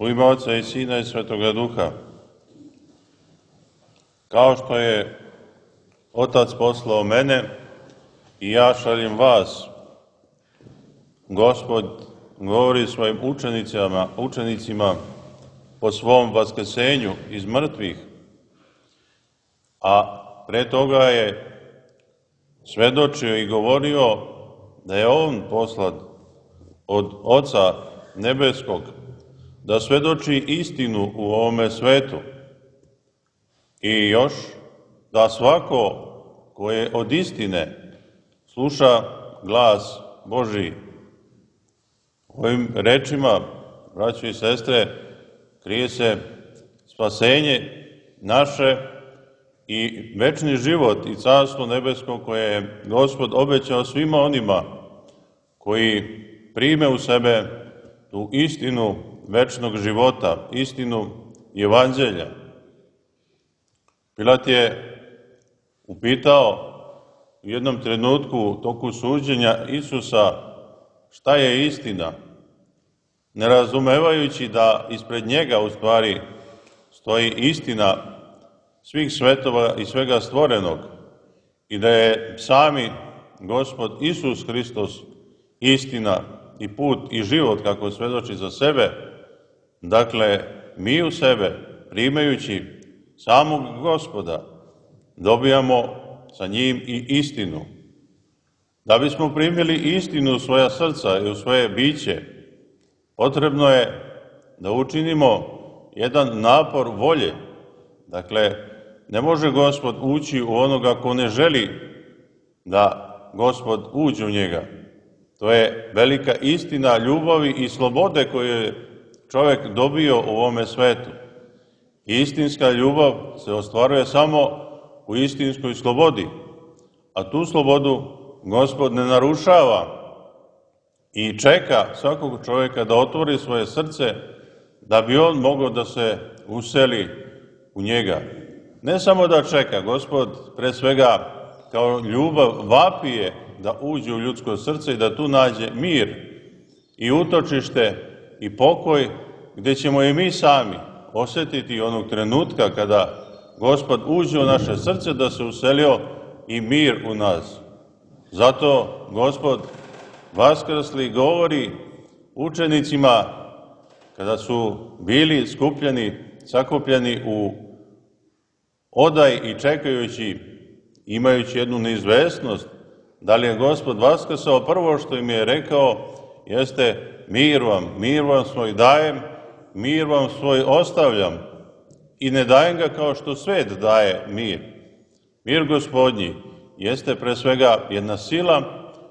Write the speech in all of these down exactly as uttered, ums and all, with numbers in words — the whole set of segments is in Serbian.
U ime Oca i Sina i Svetoga Duha. Kao što je Otac poslao mene i ja šaljem vas, Gospod govori svojim učenicima, učenicima po svom vaskrsenju iz mrtvih, a pre toga je svedočio i govorio da je on poslat od Oca nebeskog, da svedoči istinu u ovome svetu. I još, da svako ko je od istine sluša glas Božji. Ovim rečima, braćo i sestre, krije se spasenje naše i večni život i carstvo nebesko koje je Gospod obećao svima onima koji prime u sebe tu istinu večnog života, istinu evanđelja. Pilat je upitao u jednom trenutku u toku suđenja Isusa šta je istina, ne razumevajući da ispred njega u stvari stoji istina svih svetova i svega stvorenog i da je sami Gospod Isus Hristos istina i put i život kako svedoči za sebe. Dakle, mi u sebe, primajući samog Gospoda, dobijamo sa njim i istinu. Da bismo primili istinu u svoja srca i u svoje biće, potrebno je da učinimo jedan napor volje. Dakle, ne može Gospod ući u onoga ko ne želi da Gospod uđe u njega. To je velika istina ljubavi i slobode koju je čovjek dobio u ovome svetu. Istinska ljubav se ostvaruje samo u istinskoj slobodi, a tu slobodu Gospod ne narušava i čeka svakog čovjeka da otvori svoje srce da bi on mogao da se useli u njega. Ne samo da čeka, Gospod pre svega kao ljubav vapije da uđe u ljudsko srce i da tu nađe mir i utočište i pokoj gdje ćemo i mi sami osjetiti onog trenutka kada Gospod uđe u naše srce da se uselio i mir u nas. Zato Gospod vaskrsli govori učenicima kada su bili skupljeni, sakupljeni u odaj i čekajući, imajući jednu neizvesnost, da li je Gospod vaskrsao, prvo što im je rekao jeste mir vam, mir vam svoj dajem, mir vam svoj ostavljam i ne dajem ga kao što svet daje mir. Mir Gospodnji jeste pre svega jedna sila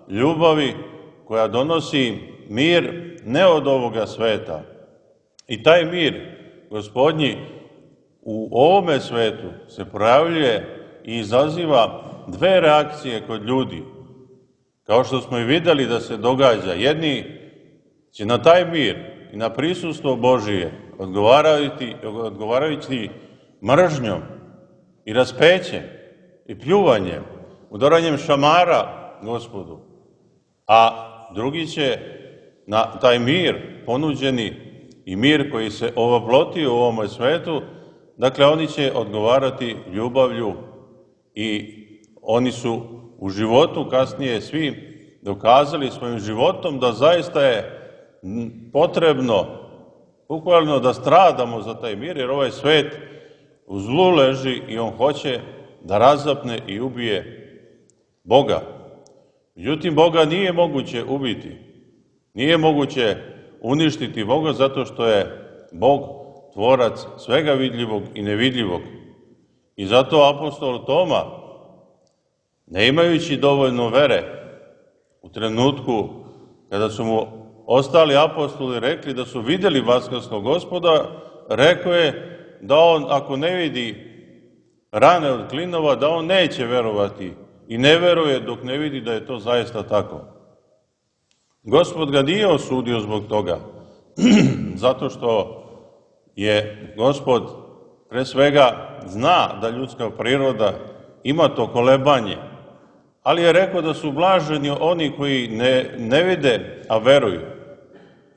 ljubavi koja donosi mir ne od ovoga sveta. I taj mir Gospodnji u ovome svetu se projavljuje i izaziva dve reakcije kod ljudi. Kao što smo i videli da se događa, jedni će na taj mir i na prisustvo Božije odgovarajući, odgovarajući mržnjom i raspećem i pljuvanjem, udaranjem šamara Gospodu, a drugi će na taj mir ponuđeni i mir koji se ovoplotio u ovome svetu, dakle oni će odgovarati ljubavlju i oni su u životu kasnije svi dokazali svojim životom da zaista je potrebno bukvalno da stradamo za taj mir, jer ovaj svet u zlu leži i on hoće da razapne i ubije Boga. Međutim, Boga nije moguće ubiti. Nije moguće uništiti Boga zato što je Bog tvorac svega vidljivog i nevidljivog. I zato apostol Toma, ne imajući dovoljno vere, u trenutku kada su mu ostali apostoli rekli da su vidjeli vaskrsnog Gospoda, rekao je da on, ako ne vidi rane od klinova, da on neće verovati i ne veruje dok ne vidi da je to zaista tako. Gospod ga nije osudio zbog toga, zato što je Gospod pre svega zna da ljudska priroda ima to kolebanje, ali je rekao da su blaženi oni koji ne, ne vide, a veruju.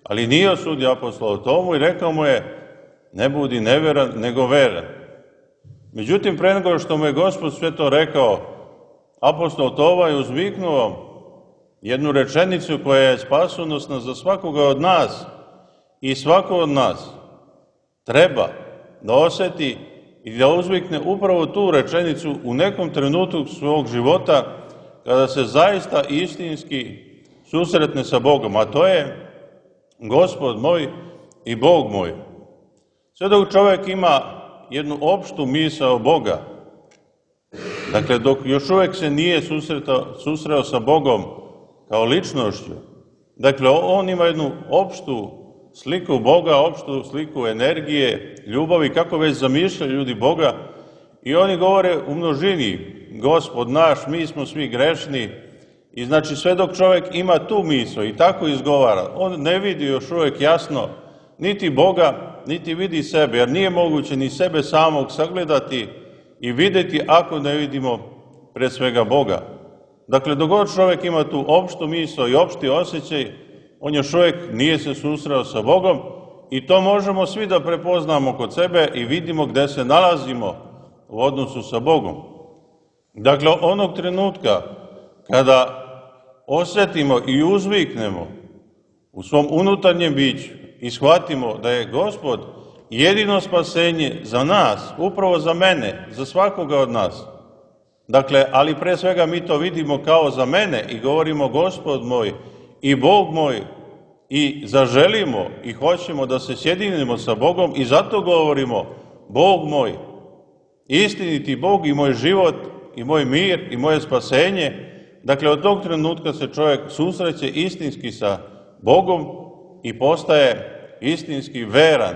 Ali nije osudio apostola Tomu i rekao mu je, ne budi neveran, nego veran. Međutim, pre nego što mu je Gospod sve to rekao, apostol Toma je uzviknuo jednu rečenicu koja je spasonosna za svakoga od nas i svako od nas treba da oseti i da uzvikne upravo tu rečenicu u nekom trenutku svog života kada se zaista istinski susretne sa Bogom, a to je Gospod moj i Bog moj. Sve dok čovjek ima jednu opštu misao Boga, dakle dok još uvijek se nije susretao, susreo sa Bogom kao ličnošću, dakle on ima jednu opštu sliku Boga, opštu sliku energije, ljubavi, kako već zamišljaju ljudi Boga, i oni govore u množini, Gospod naš, mi smo svi grešni, i znači sve dok čovjek ima tu misao i tako izgovara, on ne vidi još uvijek jasno niti Boga, niti vidi sebe, jer nije moguće ni sebe samog sagledati i vidjeti ako ne vidimo pre svega Boga. Dakle, dok god čovjek ima tu opštu misao i opšti osjećaj, on još uvijek nije se susreo sa Bogom i to možemo svi da prepoznamo kod sebe i vidimo gde se nalazimo u odnosu sa Bogom. Dakle, onog trenutka kada osjetimo i uzviknemo u svom unutarnjem biću i shvatimo da je Gospod jedino spasenje za nas, upravo za mene, za svakoga od nas. Dakle, ali pre svega mi to vidimo kao za mene i govorimo Gospod moj i Bog moj i zaželimo i hoćemo da se sjedinimo sa Bogom i zato govorimo Bog moj, istiniti Bog i moj život i moj mir i moje spasenje. Dakle, od tog trenutka se čovjek susreće istinski sa Bogom i postaje istinski veran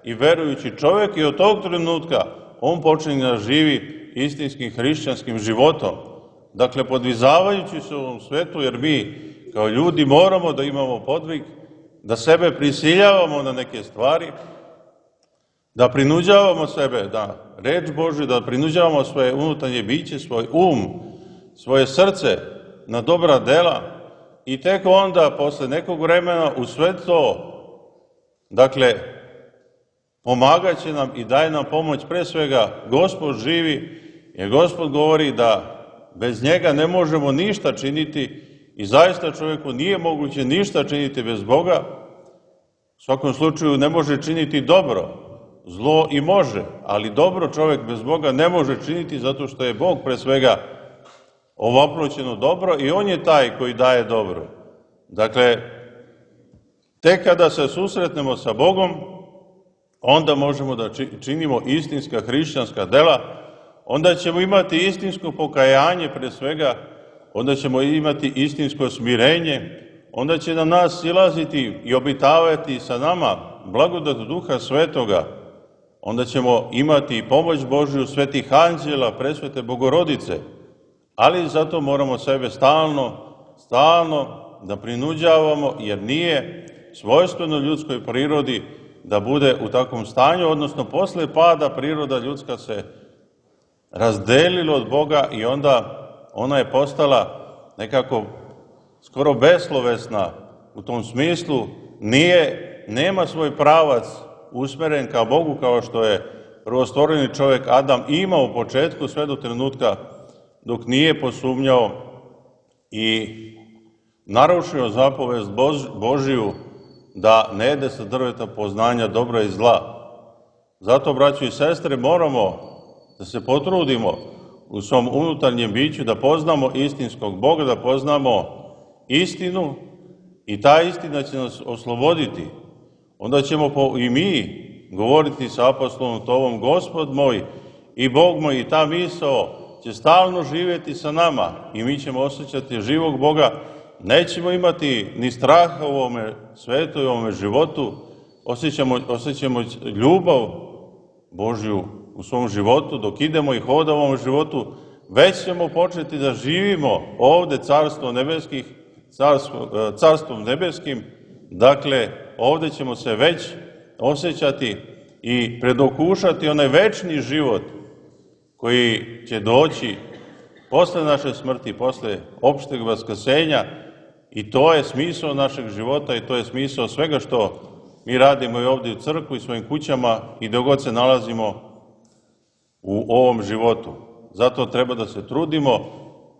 i verujući čovjek i od tog trenutka on počinje da živi istinskim hrišćanskim životom. Dakle, podvizavajući se u ovom svetu, jer mi kao ljudi moramo da imamo podvig, da sebe prisiljavamo na neke stvari, da prinuđavamo sebe da reč Božju, da prinuđavamo svoje unutarnje biće, svoj um, svoje srce na dobra dela i tek onda, posle nekog vremena, u sve to, dakle, pomagat će nam i daje nam pomoć, pre svega, Gospod živi, jer Gospod govori da bez njega ne možemo ništa činiti i zaista čovjeku nije moguće ništa činiti bez Boga. U svakom slučaju ne može činiti dobro, zlo i može, ali dobro čovjek bez Boga ne može činiti zato što je Bog pre svega ovaploćeno dobro i on je taj koji daje dobro. Dakle, tek kada se susretnemo sa Bogom, onda možemo da činimo istinska hrišćanska dela, onda ćemo imati istinsko pokajanje pre svega, onda ćemo imati istinsko smirenje, onda će na nas silaziti i obitavati sa nama blagodat Duha Svetoga, onda ćemo imati i pomoć Božju svetih anđela, presvete Bogorodice, ali zato moramo sebe stalno, stalno da prinuđavamo, jer nije svojstveno ljudskoj prirodi da bude u takvom stanju, odnosno posle pada priroda ljudska se razdelila od Boga i onda ona je postala nekako skoro beslovesna u tom smislu, nije, nema svoj pravac usmeren ka Bogu kao što je prvostvoreni čovjek Adam imao u početku sve do trenutka dok nije posumnjao i narušio zapovest Božiju da ne jede sa drveta poznanja dobra i zla. Zato, braćo i sestre, moramo da se potrudimo u svom unutarnjem biću da poznamo istinskog Boga, da poznamo istinu i ta istina će nas osloboditi. Onda ćemo i mi govoriti sa apostolom Tomom, Gospod moj i Bog moj, i ta misao će stalno živjeti sa nama i mi ćemo osjećati živog Boga. Nećemo imati ni straha u ovome svetu i u ovome životu, osjećamo, osjećamo ljubav Božju u svom životu, dok idemo i hodamo u ovom životu, već ćemo početi da živimo ovde carstvo nebeskih, carstvo, carstvom nebeskim, dakle, ovde ćemo se već osjećati i predokušati onaj večni život koji će doći posle naše smrti, posle opšteg vaskrsenja, I to je smisao našeg života i to je smisao svega što mi radimo i ovdje u crkvi, svojim kućama i dok god se nalazimo u ovom životu. Zato treba da se trudimo.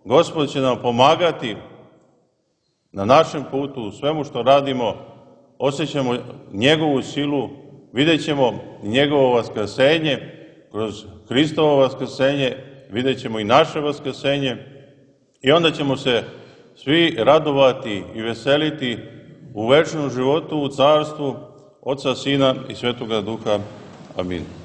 Gospod će nam pomagati na našem putu, u svemu što radimo, osjećamo njegovu silu, vidjet ćemo njegovo vaskrsenje, kroz Hristovo vaskrsenje, vidjet ćemo i naše vaskrsenje i onda ćemo se svi radovati i veseliti u večnom životu, u carstvu Oca, Sina i Svetoga Duha. Amin.